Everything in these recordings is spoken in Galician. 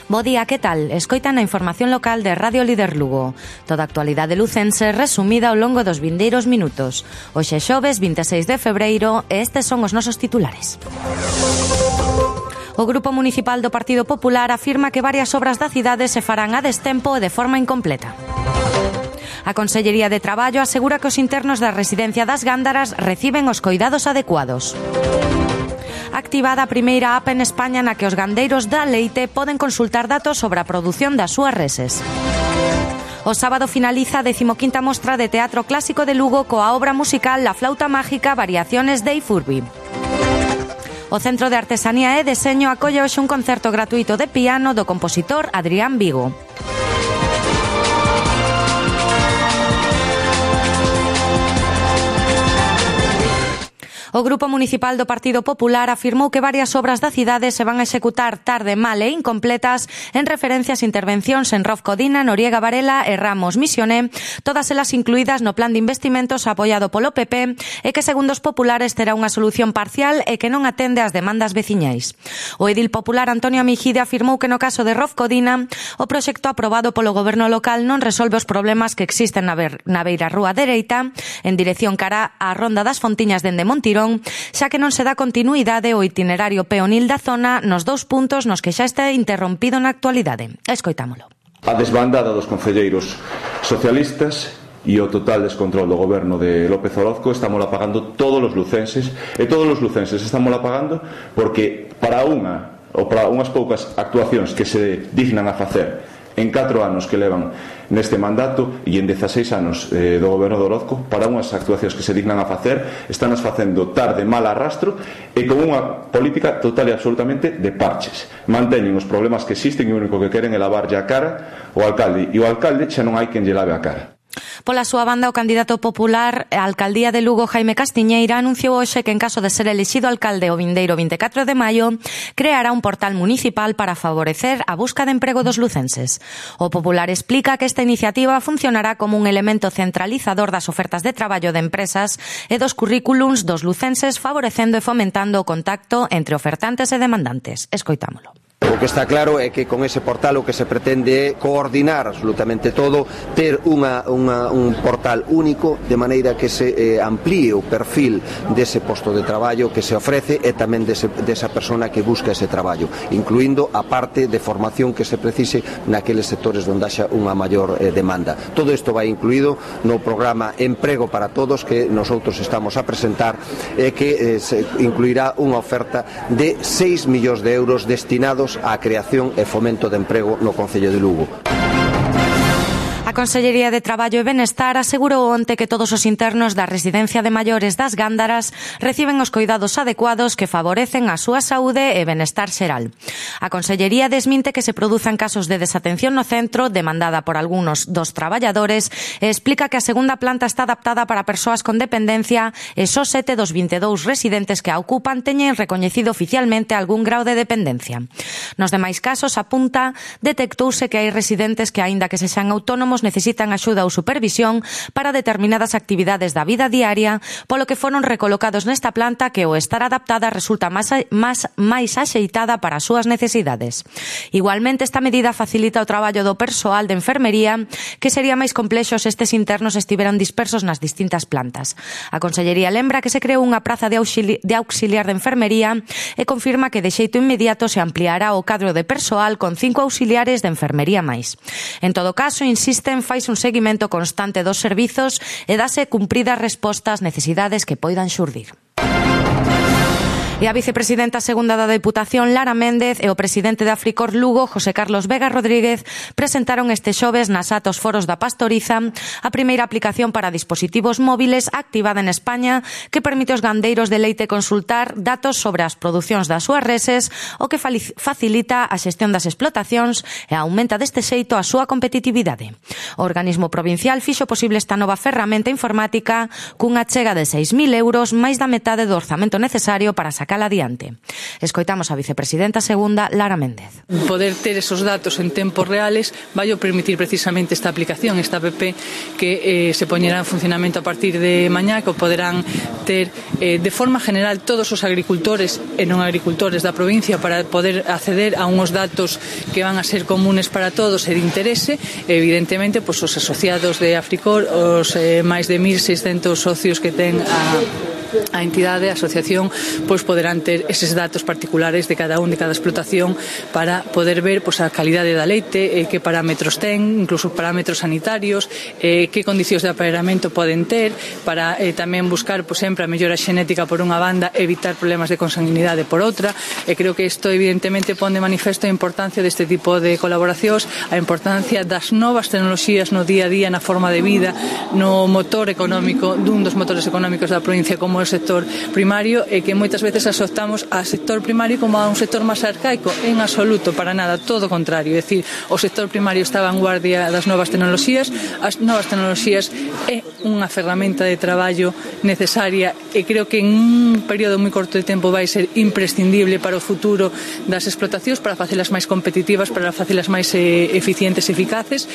Bo día, que tal? Escoitan a información local de Radio Líder Lugo. Toda a actualidade lucense resumida ao longo dos vindeiros minutos. Hoxe xoves 26 de febreiro e estes son os nosos titulares. O Grupo Municipal do Partido Popular afirma que varias obras da cidade se farán a destempo e de forma incompleta. A Consellería de Traballo asegura que os internos da residencia das Gándaras reciben os coidados adecuados. Activada a primeira app en España na que os gandeiros da leite poden consultar datos sobre a produción das súas reses. O sábado finaliza a 15ª mostra de teatro clásico de Lugo coa obra musical La Flauta Mágica Variaciones de Ifurbi. O Centro de Artesanía e Deseño acolle hoxe un concerto gratuito de piano do compositor Adrián Vigo. O Grupo Municipal do Partido Popular afirmou que varias obras da cidade se van a executar tarde, mal e incompletas en referencia ás intervencións en Rof Codina, Noriega Varela e Ramos Misioné, todas elas incluídas no plan de investimentos apoiado polo PP e que, segundo os populares, terá unha solución parcial e que non atende ás demandas veciñais. O edil popular Antonio Mijide afirmou que no caso de Rof Codina, o proxecto aprobado polo goberno local non resolve os problemas que existen na beira rúa dereita, en dirección cara á ronda das Fontiñas dende Montirón, xa que non se dá continuidade ao itinerario peonil da zona nos dous puntos nos que xa está interrompido na actualidade. Escoitámolo. A desbandada dos concelleiros socialistas e o total descontrol do goberno de López Orozco estamos pagando todos os lucenses, e todos os lucenses estamos pagando porque para unhas poucas actuacións que se dignan a facer en 4 anos que levan neste mandato e en 16 anos do goberno de Orozco, para unhas actuacións que se dignan a facer, están as facendo tarde, mal arrastro e con unha política total e absolutamente de parches. Manteñen os problemas que existen e o único que queren é lavarlle a cara ao alcalde, e o alcalde xa non hai quen lle lave a cara. Pola súa banda, o candidato popular á alcaldía de Lugo, Jaime Castiñeira, anunciou hoxe que en caso de ser elixido alcalde o vindeiro 24 de maio, creará un portal municipal para favorecer a busca de emprego dos lucenses. O popular explica que esta iniciativa funcionará como un elemento centralizador das ofertas de traballo de empresas e dos currículums dos lucenses, favorecendo e fomentando o contacto entre ofertantes e demandantes. Escoitámolo. O que está claro é que con ese portal o que se pretende é coordinar absolutamente todo, ter un portal único, de maneira que se amplíe o perfil dese posto de traballo que se ofrece e tamén desa persona que busca ese traballo, incluindo a parte de formación que se precise naqueles sectores onde haxa unha maior demanda. Todo isto vai incluído no programa Emprego para Todos que nosotros estamos a presentar e que se incluirá unha oferta de 6 millóns de euros destinados á creación e fomento de emprego no Concello de Lugo. A Consellería de Traballo e Benestar asegurou onte que todos os internos da residencia de maiores das Gándaras reciben os coidados adecuados que favorecen a súa saúde e benestar xeral. A Consellería desminte que se produzan casos de desatención no centro demandada por algúns dos traballadores e explica que a segunda planta está adaptada para persoas con dependencia e só 7 dos 22 residentes que a ocupan teñen recoñecido oficialmente algún grau de dependencia. Nos demais casos, apunta, detectouse que hai residentes que, aínda que sexan autónomos, necesitan axuda ou supervisión para determinadas actividades da vida diaria, polo que foron recolocados nesta planta que, ao estar adaptada, resulta máis axeitada para as súas necesidades. Igualmente, esta medida facilita o traballo do persoal de enfermería, que sería máis complexo se estes internos estiveran dispersos nas distintas plantas. A Consellería lembra que se creou unha praza de auxiliar de enfermería e confirma que de xeito inmediato se ampliará o cadro de persoal con 5 auxiliares de enfermería máis. En todo caso, insisten, faise un seguimento constante dos servizos e dase cumpridas resposta ás necesidades que poidan xurdir. E a vicepresidenta segunda da Deputación, Lara Méndez, e o presidente de Africor Lugo, José Carlos Vega Rodríguez, presentaron este xoves nas Atos Foros da Pastoriza a primeira aplicación para dispositivos móviles activada en España que permite aos gandeiros de leite consultar datos sobre as producións das súas reses, o que facilita a xestión das explotacións e aumenta deste xeito a súa competitividade. O organismo provincial fixo posible esta nova ferramenta informática cunha chega de 6.000 euros, máis da metade do orzamento necesario para sacar sacala adiante. Escoitamos a vicepresidenta segunda, Lara Méndez. Poder ter esos datos en tempos reales vai permitir precisamente esta aplicación, esta app que se poñerá en funcionamento a partir de mañá, que poderán ter de forma general todos os agricultores e non agricultores da provincia para poder acceder a unhos datos que van a ser comunes para todos e de interese. Evidentemente, os asociados de Africor, os máis de 1.600 socios que ten a entidade, a asociación, poderán ter eses datos particulares de cada explotación para poder ver a calidade da leite, que parámetros ten, incluso parámetros sanitarios, que condicións de aparellamento poden ter, para tamén buscar sempre a mellora xenética por unha banda, evitar problemas de consanguinidade por outra. Creo que isto evidentemente pon de manifesto a importancia deste tipo de colaboracións, a importancia das novas tecnoloxías no día a día, na forma de vida, no motor económico, dun dos motores económicos da provincia como o sector primario, e que moitas veces asociamos ao sector primario como a un sector máis arcaico. En absoluto, para nada, todo o contrario. É dicir, o sector primario está a vanguardia das novas tecnoloxías. As novas tecnoloxías é unha ferramenta de traballo necesaria e creo que en un período moi corto de tempo vai ser imprescindible para o futuro das explotacións, para facelas máis competitivas, para facelas máis eficientes e eficaces.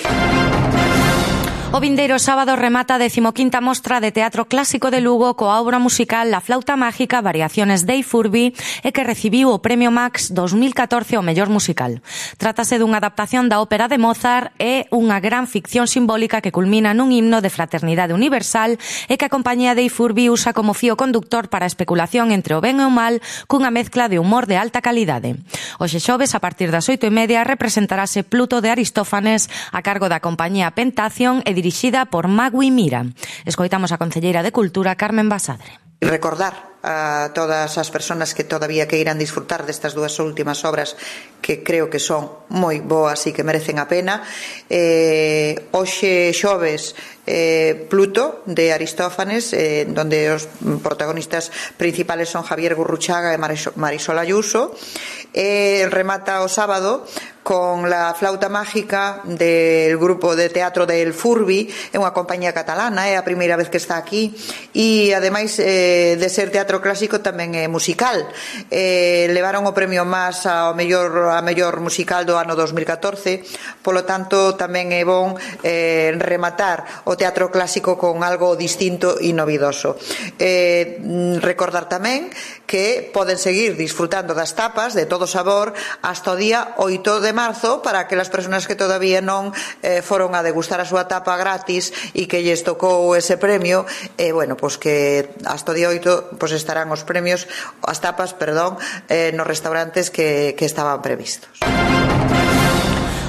O vindeiro sábado remata a 15ª Mostra de Teatro Clásico de Lugo coa obra musical La Flauta Mágica Variaciones de Ifurbi e que recibiu o Premio Max 2014 ao mellor musical. Trátase dunha adaptación da ópera de Mozart e unha gran ficción simbólica que culmina nun himno de fraternidade universal e que a compañía de Ifurbi usa como fío conductor para a especulación entre o ben e o mal cunha mezcla de humor de alta calidade. Hoxe xoves, a partir das 8:30, representarase Pluto de Aristófanes a cargo da compañía Pentación e dirixida por Magui Mira. Escoitamos a concelleira de Cultura, Carmen Basadre. Recordar a todas as persoas que todavía queiran disfrutar destas dúas últimas obras que creo que son moi boas e que merecen a pena. Hoxe xoves Pluto de Aristófanes, donde os protagonistas principales son Javier Gurruchaga e Marisol Ayuso. Remata o sábado con La Flauta Mágica del grupo de teatro del Furbi, é unha compañía catalana, é a primeira vez que está aquí e ademais de ser teatro clásico tamén é musical. Levaron o premio Mas a mellor musical do ano 2014, polo tanto tamén é bon rematar o teatro clásico con algo distinto e novidoso. Recordar tamén que poden seguir disfrutando das tapas de todo sabor hasta o día 8 de marzo para que as persoas que todavía non foron a degustar a súa tapa gratis e que lles tocou ese premio, que hasta o día 8 estarán os premios, as tapas, nos restaurantes que estaban previstos.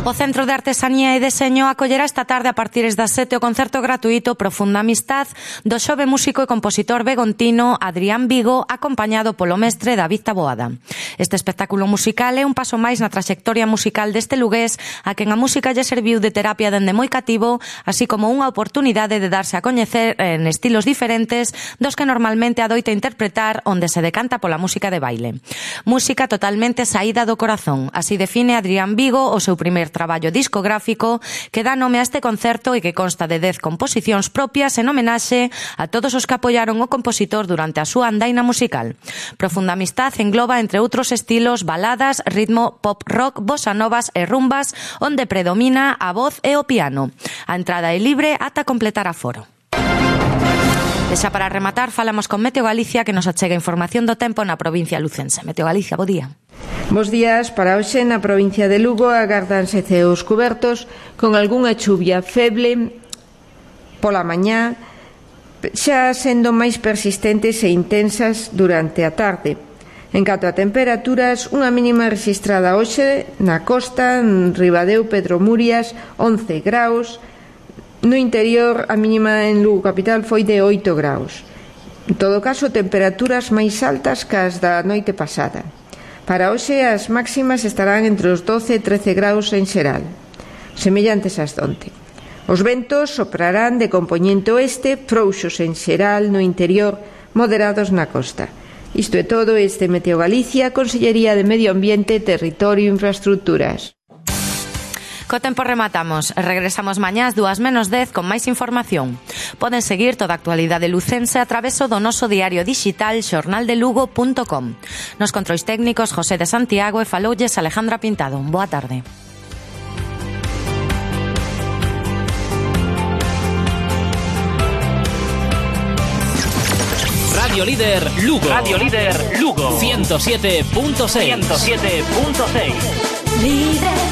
O Centro de Artesanía e Deseño acollerá esta tarde a partir das 7 o concerto gratuito Profunda Amistad do xove músico e compositor begontino Adrián Vigo, acompañado polo mestre David Taboada. Este espectáculo musical é un paso máis na traxectoria musical deste lugués a quen a música lle serviu de terapia dende moi cativo, así como unha oportunidade de darse a coñecer en estilos diferentes dos que normalmente adoita interpretar onde se decanta pola música de baile. Música totalmente saída do corazón, así define Adrián Vigo o seu primer traballo discográfico que dá nome a este concerto e que consta de 10 composicións propias en homenaxe a todos os que apoiaron o compositor durante a súa andaina musical. Profunda Amistad engloba, entre outros estilos, baladas, ritmo, pop rock, bossa novas e rumbas, onde predomina a voz e o piano. A entrada é libre ata completar aforo. E xa para rematar, falamos con Meteo Galicia, que nos achega información do tempo na provincia lucense. Meteo Galicia, bo día. Bos días. Para hoxe na provincia de Lugo agárdanse ceos cubertos con algunha chuvia feble pola mañá, xa sendo máis persistentes e intensas durante a tarde. En canto a temperaturas, unha mínima registrada hoxe na costa, en Ribadeo, Pedro Murias, 11 graus. No interior, a mínima en Lugo capital foi de 8 graus. En todo caso, temperaturas máis altas que as da noite pasada. Para hoxe, as máximas estarán entre os 12 e 13 graus en xeral, semellantes ás donte. Os ventos soprarán de compoñente oeste, frouxos en xeral no interior, moderados na costa. Isto é todo. Este Meteo Galicia, Consellería de Medio Ambiente, Territorio e Infraestructuras. Co tempo rematamos. Regresamos mañá ás 2:10 con máis información. Poden seguir toda a actualidade lucense a traveso do noso diario digital xornaldelugo.com. Nos controis técnicos José de Santiago e faloulles Alejandra Pintado. Boa tarde. Radio Líder Lugo. Radio Líder Lugo. 107.6. 107.6. Líder.